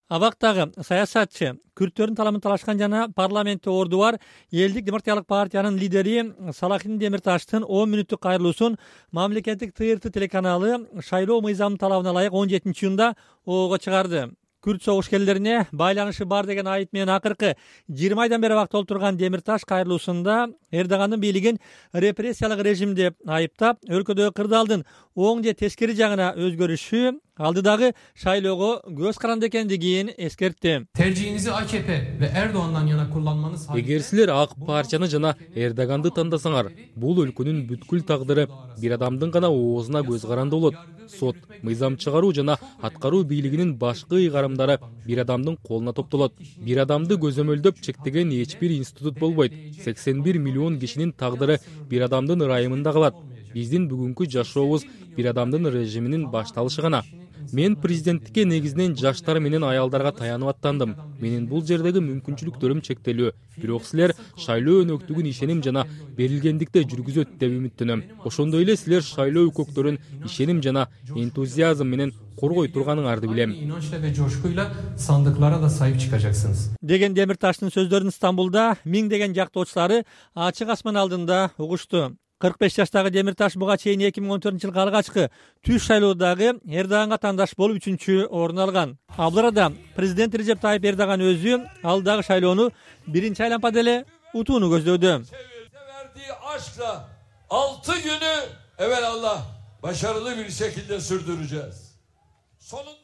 Абактагы саясатчы, күрттөрдүн таламын талашкан жана парламентте орду бар Элдик демократиялык партиянын лидери Салахин Демирташтын 10 мүнөттүк кайрылуусун мамлекеттик ТРТ телеканалы шайлоо мыйзамынын талабына ылайык 17-июнда ого чыгарды. Күрт согушкерлерине байланышы бар деген айып менен акыркы 20 айдан бери абакта отурган Демирташ кайрылуусунда Эрдогандын бийлигин репрессиялык режим деп айыптап, өлкөдөгү кырдаалдын оң же тескери жагына өзгөрүшү алдыдагы шайлоого көз каранды экендигин эскертти. Tercihinizi AKP ve Erdoğan'dan yana kullanmanız Эгер силер ак партияны жана Эрдоганды тандасаңар, бул өлкөнүн бүткүл тагдыры бир адамдын гана оозуна көз каранды болот. Сот, мыйзам чыгаруу жана аткаруу бийлигинин башкы ыйгарымдары бир адамдын колуна топтолот. Бир адамды көзөмөлдөп чектеген эч бир институт болбойт. 81 миллион кишинин тагдыры бир адамдын ырайымында калат. Биздин бүгүнкү жашообуз бир адамдын режиминин башталышы гана. Мен президенттикке негизинен жаштар менен аялдарга таянып аттандым. Менин бул жердеги мүмкүнчүлүктөрүм чектелүү. Бирок силер шайлоо өнөктүгүн ишеним жана берилгендикте жүргүзөт деп үмүттөнөм. Ошондой эле силер шайлоо укуктөрүн ишеним жана энтузиазм менен коргой турганыңарды билем. İnançla ve coşkuyla sandıklara da sahip çıkacaksınız. Деген Демирташтын сөздөрүн Стамбулда миңдеген жактоочулары ачык асман алдында угушту. 45 жаштагы Демирташ буга чейин 2014-жылкы алгачкы түш шайлоодагы Эрдоганга тандаш болуп 3-чү орун алган. Ал арада президент Режеп Тайып Эрдоган өзү алдагы шайлоону биринчи айланпа деле утууну көздөдү. Verdiği aşkla 6 günü evelallah başarılı bir şekilde sürdüreceğiz.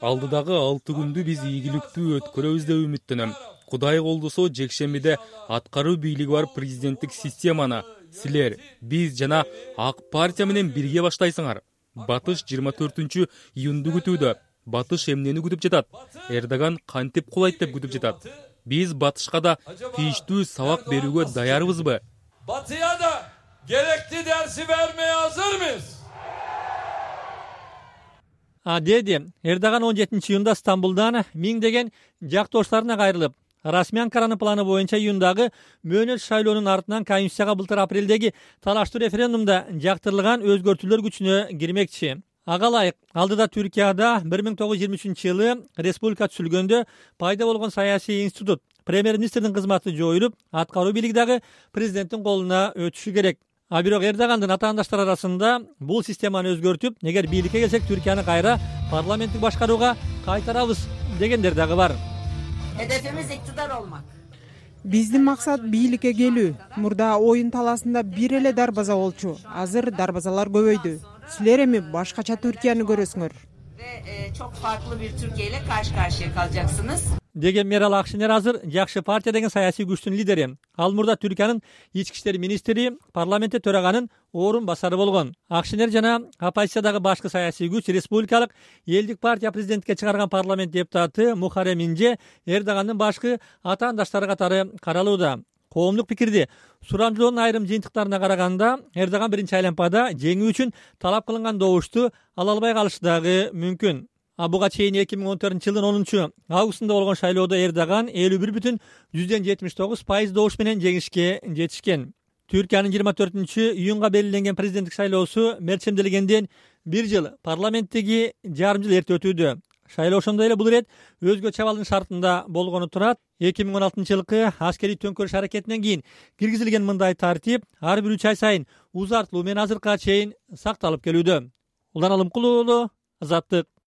Алдыдагы 6 күндү биз ийгиликтүү өткөрөбүз деп үмүттөнөм. Кудай колдосо жекшембиде аткаруу бийлиги бар президенттик системаны силер, биз жана ак партия менен бирге баштайсыңар. Батыш 24-июнду күтүүдө. Батыш эмнени күтүп жатат? Эрдоган кантип кулайт деп күтүп жатат. Биз Батышка да тийиштүү сабак берүүгө даярбызбы? Batıya da gerekli dersi vermeye hazır mıyız? Деди Эрдоган 17-июнда Стамбулдан миңдеген жактоштарына кайрылып, расмий Анкаранын планы боюнча июндагы мөөнөт шайлоонун артынан Конституцияга былтыр апрелдеги талаштуу референдумда жактырылган өзгөртүүлөр күчүнө кирмекчи. Ага ылайык алдыда Түркияда 1923-жылы республика түзүлгөндө пайда болгон саясий институт премьер-министрдин кызматы жоюлуп, аткаруу бийлиги дагы президенттин колуна өтүшү керек. Бирок Эрдогандын атаандаштары арасында бул системаны өзгөртүп, эгер бийликке келсек Түркияны кайра парламенттик башкарууга кайтарабыз дегендер дагы бар. Hedefimiz iktidar olmak. Биздин максат бийликке келүү. Мурда оюн талаасында бир эле дарбаза болчу. Азыр дарбазалар көбөйдү. Силер эми башкача Түркияны көрөсүңөр. Ve çok farklı bir Türkiye ile karşı karşıya kalacaksınız. Деген Мерал Акшинер азыр Жакшы партия деген саясий күчтүн лидери. Ал мурда Түркиянын ички иштер министри, парламентте төраганын орун басары болгон. Акшинер жана оппозициядагы башкы саясий күч республикалык Элдик партия президентке чыгарган парламент депутаты Мухаррем Инже Эрдогандын башкы атаандаштары катары каралууда. Коомдук пикирди сурамжылоонун айрым жыйынтыктарына караганда Эрдоган биринчи айланпада жеңүү үчүн талап кылынган добушту ала албай калышы дагы мүмкүн. Буга чейин 2014-жылдын 10-августунда болгон шайлоодо Эрдоган 51,79% добуш менен жеңишке жетишкен. Түркиянын 24-июнга белгиленген президенттик шайлоосу мерчемделгенден 1 жыл, парламенттеги жарым жыл эрте өтүүдө. Шайлоо ошондой эле бул ирет өзгө чабалдын шартында болгону турат. 2016-жылкы аскерий төңкөрүш аракетинен кийин киргизилген мындай тартип ар бир 3 ай сайын узартылуу менен азыркыга чейин сакталып келүүдө. Улан Алымкулуу, Азаттык.